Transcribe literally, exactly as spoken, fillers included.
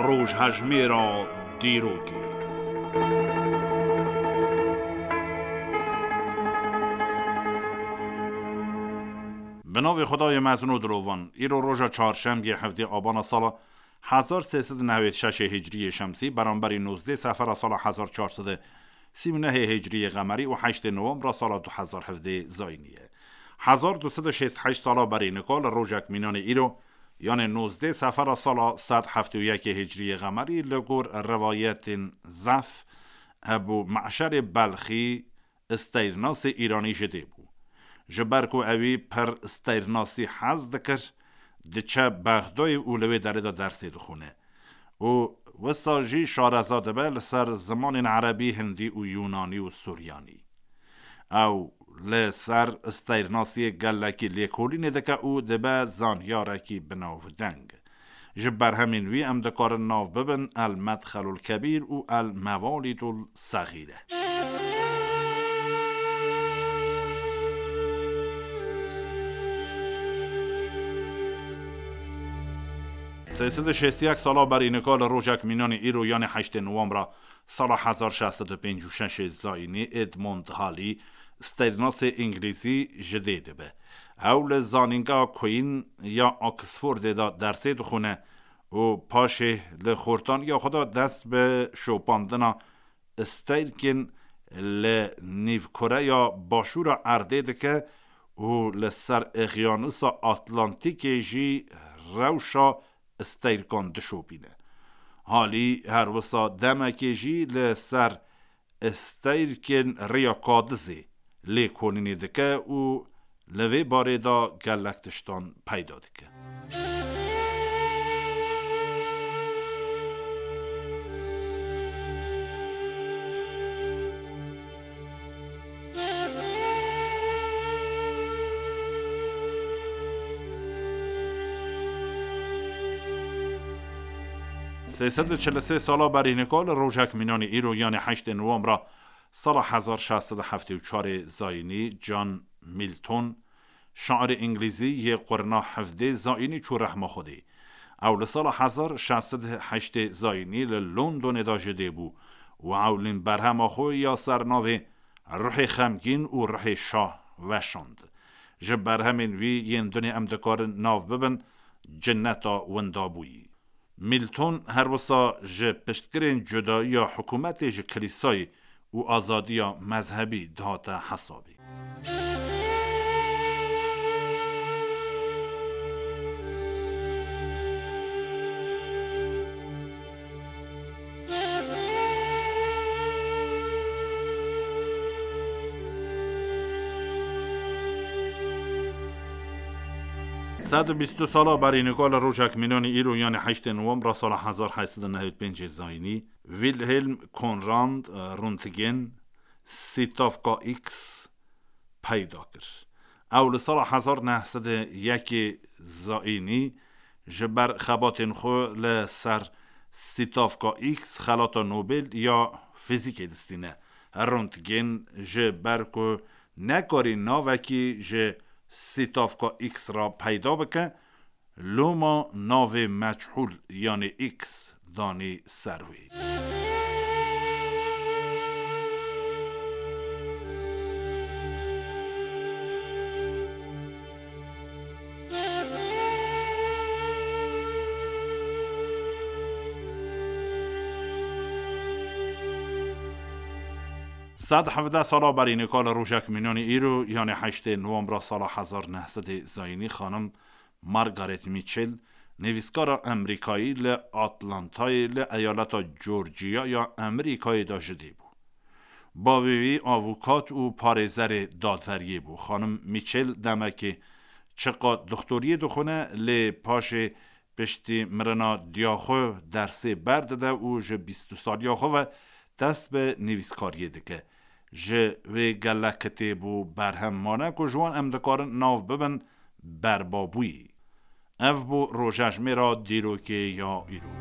Rojhejmêra dîrokê. Bi navê Xwedayê mezin û dilovan, îro roja çarşembiyê hevdê abana sala hezar sê sed û newêd şeşê hicriyê şemsî, beramberî nozdê sefera sala hezar çar sed û sî û nehê hicriyê qemerî û heştê nowembra sala du hezar hevdê zayînî ye. Hezar du sed û şêst heşt sala berî nika li rojek mînanê îro, yanê nozdê sefera sala sed heftê û yekê hicriyê qemerî, li gor rivayetên zef, Ebû Me'şerê Belxî, steyrnasê îranî ji dê bû. Ji ber ku ewî pir steyrnasî hez dikir, diçe Bexdayê û li wê derê de dersê dixwîne. Û wisa jî şareza dibe li ser zimanên erebî, hindî û yûnanî û suryanî. Ew li ser steyrnasiyê gelekî lêkolînê dike û dibe zanyarekî binavdeng. Ji berhemên wî em dikarin nav bibin El Medxelul Kebîr û El Mevalîdul Sexîre. Sê sed û şêst û yek sala berî nika li rojek mînanê îro, yanê heştê nowembra sala hezar şeş sed û pêncî û şeşê zayînî, Edmund Halley, steyrnasê îngilîzî, ji dê dibe. Ew li Zanîngeha Queen ya Oxfordê de dersê dixwîne û paşê li xortaniya xwe de dest bi şopandina steyrkên li nîvkureya başûra erdê dike û li ser Eqyanusa Atlantîkê jî rewşa steyrkan dişopîne. Halley her wisa demekê jî li ser steyrkên Rêya Kadizê lêkolînê dike û li vê barê de gelek tiştan peyda dike. Sê sed û çil û sê sala berî nika li rojek mînanê îro, yanê heştê nowembra sala hezar şeş sed û heftê û çarê zayînî, John Milton, şairê îngilîzî yê qurna hevdê zayînî, çû rehma Xwedê. Ew li sala hezar şeş sed û heştê zayînî li Londonê de ji dê bû û ewlîn berhema xwe ya ser navê Ruhê Xemgîn û Ruhê Şah weşand. Ji berhemên wî yên dinê em dikarin nav bibin Cinneta Windabûyî. Milton her wisa ji piştgirên cudayiya hikûmetê ji kilîsayê û azadiya mezhebî dihate hesabê. Sed û bîst û du sala berî nika li rojek mînanî îro, yanê heştê nowembra sala hezar heşt sed û newêd pêncê zayînî, Wilhelm Conrad, e, Röntgen, sîtavka X peyda kir. Ew li sala hezar neh sed û yekê zayînî ji ber xebatên xwe li ser sîtavka X xelata Nobel ya fîzîkê distîne. Röntgen ji ber ku nekarî navekî ji sîtavka X re peyda bike, loma navê meçhûl, yanê X, danî ser wê. Sed hevdeh sala berî nika li rojek mînanî îro, yanê heştê nowembra sala hezar neh sedê zayînî, xanim Margaret Mitchell, nivîskara Amerîkayî, li Atlantayê li eyaleta Georgia ya Amerîkayê de ji dê bû. Bavê wî avukat û parêzerê dadveriyê bû. Xanim Mitchell demekê çiqas doxtoriyê dixwine, lê paşê piştî mirina diya xwe dersê berdide û ji bîst û du saliya xwe ve dest bi nivîskariyê dike. Ji wê gelek kitêb û berhem mane ku ji wan em dikarin nav bibin Berbabûyî. Ev bû rojejmêra dîrokê ya îro.